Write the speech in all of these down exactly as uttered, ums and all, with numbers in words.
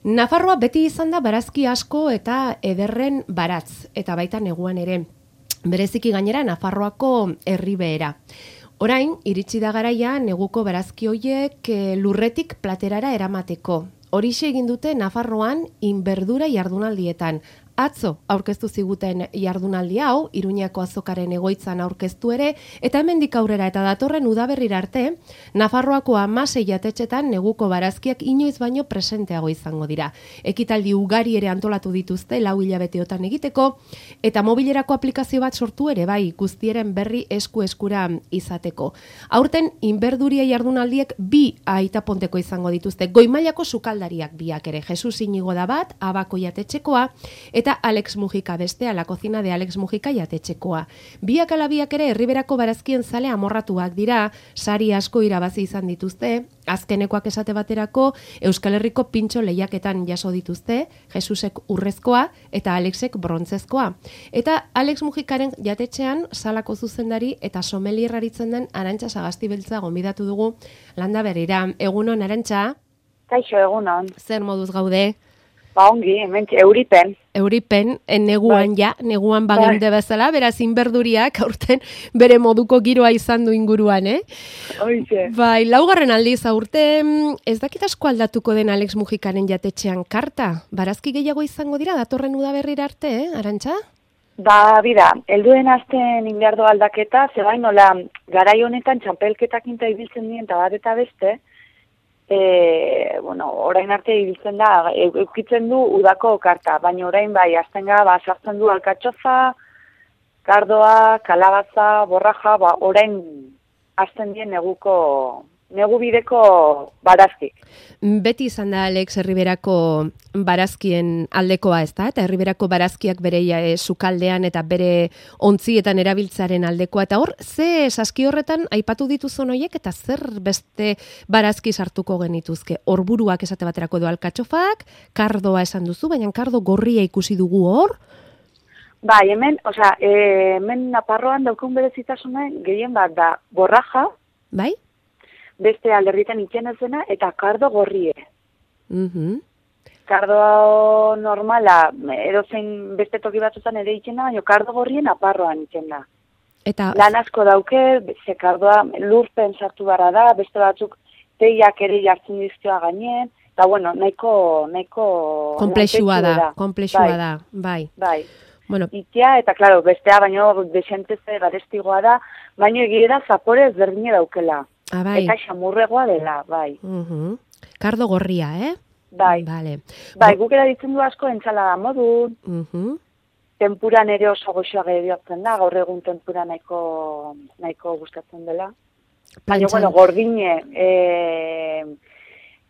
Nafarroa beti izan da barazki asko eta ederren baratz, eta baita neguan ere. Bereziki gainera Nafarroako herribehera. Orain, iritsi da garaia neguko barazki hoiek lurretik platerara eramateko. Horixe egin dute Nafarroan inberdura jardunaldietan. Atzo aurkeztu ziguten jardunaldi hau, Iruñako azokaren egoitzan aurkeztu ere, eta hemendik aurrera eta datorren udaberrira arte, Nafarroako hamasei jatetxetan neguko barazkiak inoiz baino presenteago izango dira. Ekitaldi ugari ere antolatu dituzte lau hilabeteotan egiteko, eta mobilerako aplikazio bat sortu ere bai, guztieren berri esku eskura izateko. Aurten inberduria jardunaldiek bi aitaponteko izango dituzte, goimailako sukaldariak biak ere, Jesus Inigo da bat, Abako jatetxekoa, eta Alex Mujika bestea, La Cocina de Alex Mujika jatetxekoa. Biak ala biak ere herriberako barazkien zale amorratuak dira, sari asko irabazi izan dituzte, azkenekoak esate baterako Euskal Herriko pintxo lehiaketan jaso dituzte, Jesusek urrezkoa eta Alexek brontzezkoa. Eta Alex Mujikaren jatetxean salako zuzendari eta sommelier aritzen den Arantxa Sagastibeltza gonbidatu dugu landa berrira. Egunon, Arantxa? Kaixo, egunon. Zer moduz gaude? Ba ongi, hemen euripen. Euripen, neguan ja, neguan bagende bezala, beraz inberduriak aurten bere moduko giroa izan du inguruan, eh? Oixe. Bai, laugarren aldiz aurten, ez dakit asko aldatuko den Alex Mujikaren jatetxean karta? Barazki gehiago izango dira, datorren udaberrira arte, eh, Arantxa? Ba, bida, helduen azten inbiardo aldaketa, zebain nola, garai honetan txapelketak inta ibiltzen dien eta bat eta beste, E, bueno, orain arte ibiltzen da, eukitzen du udako karta, baina orain bai, aztenga, ba, sartzen du alkatxofa, kardoa, kalabaza, borraja, ba, orain azten dien neguko, negu bideko barazki. Beti izan da, Alex, herriberako barazkien aldekoa, ez da? Eta herriberako barazkiak bere e, sukaldean eta bere ontzietan erabiltzaren aldekoa. Eta hor, ze saski horretan aipatu dituzun horiek eta zer beste barazki sartuko genituzke? Horburuak esate baterako edo alkatxofak, kardoa esan duzu, baina kardo gorria ikusi dugu hor? Bai, hemen, osea, e, hemen Nafarroan daukun berezitasunen gehien bat da borraja, bai? Beste alderritan itxenezena eta kardo gorrie. Mhm. Kardo normala, edozein beste toki batzutan ere itxena, baina kardo gorrien Nafarroan itxena. Eta lan asko dauke, ze kardoa lurpen sartu barra da, beste batzuk teiak ere jartzen dizkioa gainen, eta bueno, nahiko... nahiko komplexua da, komplexua bai. da, bai. Bai. Bueno. Itea, eta klaro, bestea baino desenteze garestigoa da, baino egia da zapore ezberdine daukela. Ah, bai. Eta xamurregoa dela, bai. Uh-huh. Kardo gorria, eh? Bai. Vale. Bai, guk erabiltzen du asko entsalada modun. Uh-huh. Tempuran ere oso goxoa gehiotzen da, gaur egun tempura nahiko, nahiko gustatzen dela. Baina, bueno, gordine e,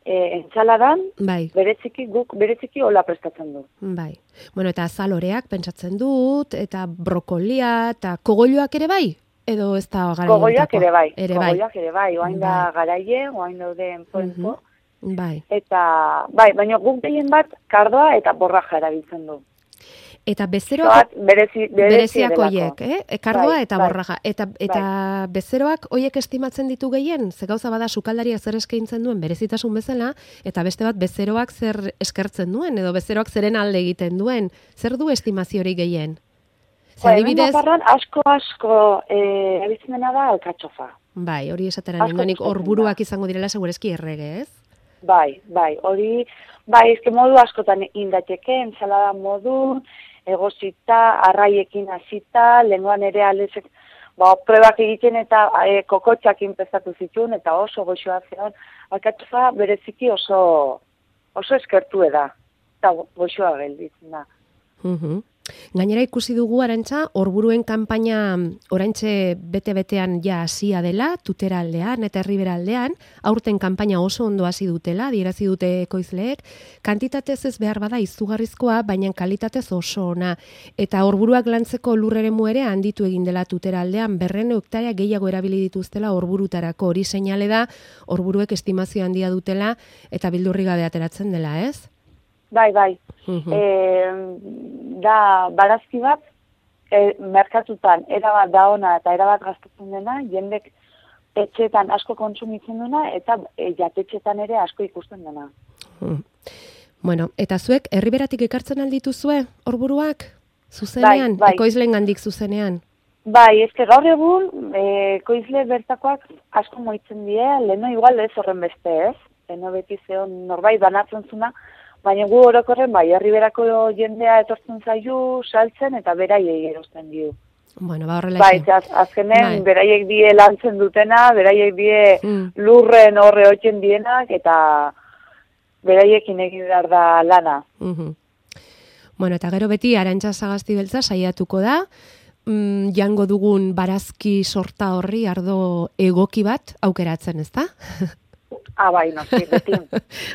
e, entzaladan, bai. bereziki, guk bereziki hola prestatzen du. Bai. Bueno, eta azaloreak pentsatzen dut, eta brokolia, eta kogolioak ere bai? Edo ez da garaia? Kogoiak ere bai, ere kogoiak ere bai, oain bai. da garaie, oain daude enpoenpo. Uh-huh. Bai. Eta, bai, baina guk gehien bat kardoa eta borraja erabiltzen du. Eta bezeroak, berezi, berezi bereziako hoiek, eh? Kardoa bai, eta bai. borraja. Eta, eta bai. Bezeroak hoiek estimatzen ditu gehien? Ze gauza bada sukaldariak zer eskaintzen duen berezitasun bezala, eta beste bat bezeroak zer eskertzen duen, edo bezeroak zeren alde egiten duen. Zer du estimaziorik gehien? Ba, hemen Nafarroan asko-asko erabiltzen dena da alkatxofa. Bai, hori esatera ninduanik horburuak izango direla segurezki errege, ez? Bai, bai, hori, bai, ezke modu askotan indateke, ensalada modu, egozita, arraiekin hasita, lenguan ere alezek, ba, prebak egiten eta e, kokotxak inpezatu zituen, eta oso goxoa zeon, alkatxofa bereziki oso, oso eskertu da, eta goxoa gelditzen da. Uh-huh. Gainera ikusi dugu, Arantxa, horburuen kanpaina oraintxe bete-betean ja hasia dela, Tutera aldean eta Herribera aldean, aurten kanpaina oso ondo hasi dutela, adierazi dute ekoizleek, kantitatez ez behar bada izugarrizkoa, baina kalitatez oso ona. Eta horburuak lantzeko lurreremu ere handitu egin dela Tutera aldean, berrehun hektarea gehiago erabili dituztela horburutarako, hori seinale da, horburuek estimazio handia dutela eta bildurri gabe ateratzen dela, ez? Bai, bai. Uh-huh. E, da barazki bat, e, merkatutan erabat da ona eta erabat gastatzen dena, jendek etxetan asko kontsumitzen dena eta e, jatetxetan ere asko ikusten dena. Uh-huh. Bueno, eta zuek herriberatik ekartzen aldituzue, horburuak? Zuzenean? Bai, bai. Ekoizleen gandik zuzenean? Bai, eske gaur egun, e, ekoizle bertakoak asko moitzen die, leheno igual ez horren beste, ez? Leheno beti zeon norbait banatzen zuna, baina gu orokorren bai, herriberako jendea etortzen zaiu, saltzen eta beraiei erosten dio. Bueno, ba horrela Bai, az, azkenen bai. beraiek die lantzen dutena, beraiek die Mm. lurren horre hotzen dienak, eta beraiekin egin behar da lana. Uhum. Bueno, eta gero beti Arantxa Sagasti beltza saiatuko da, mm, jango dugun barazki sorta horri ardo egoki bat aukeratzen, ezta? Ah, bai, noski, beti.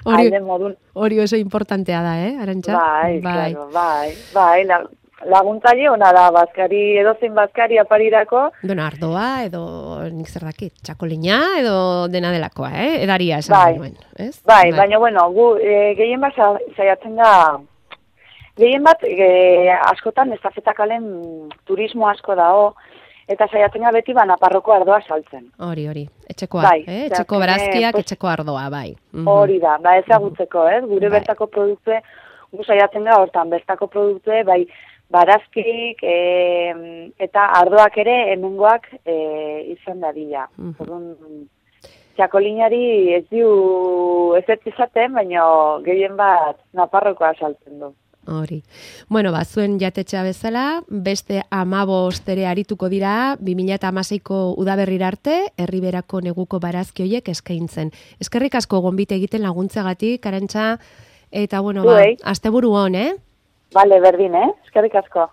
Hori, Alde modun. hori oso importantea da, eh, Arantxa? Bai, claro, bai, bai, la, laguntzaile ona da, bazkari, edozein bazkari aparirako. Bueno, ardoa, edo nik zer dakit, txakolina, edo dena delakoa, eh? Edaria esan Bai. nuen, ez? Bai, baina, bueno, gu, e, gehien bat sa- saiatzen da, gehien bat, e, askotan, estafetakalen turismo asko dao, eta saiatzen da beti ba, Naparroko ardoa saltzen. Hori, hori, etxekoa, Bai, eh? eta Etxeko azkenean, barazkiak, pues, etxeko ardoa, bai. Mhm. Hori da, ba ezagutzeko, ez? Gure Bai. bertako produktue, gu saiatzen da hortan, bertako produktue, bai, barazkik e, eta ardoak ere hemengoak e, izan dadila. Mhm. Orduan, txakolinari ez diu ez ez izaten, baina gehien bat Naparrokoa saltzen du. Hori. Bueno, ba, zuen jatetxea bezala, beste amabost ere arituko dira, bi mila hamaseiko udaberrira arte, herriberako neguko barazki hoiek eskaintzen. Eskerrik asko gonbite egiten laguntzagatik, Arantxa, eta bueno, ba, Zuei. asteburu on, eh? Bale, berdin, eh? Eskerrik asko.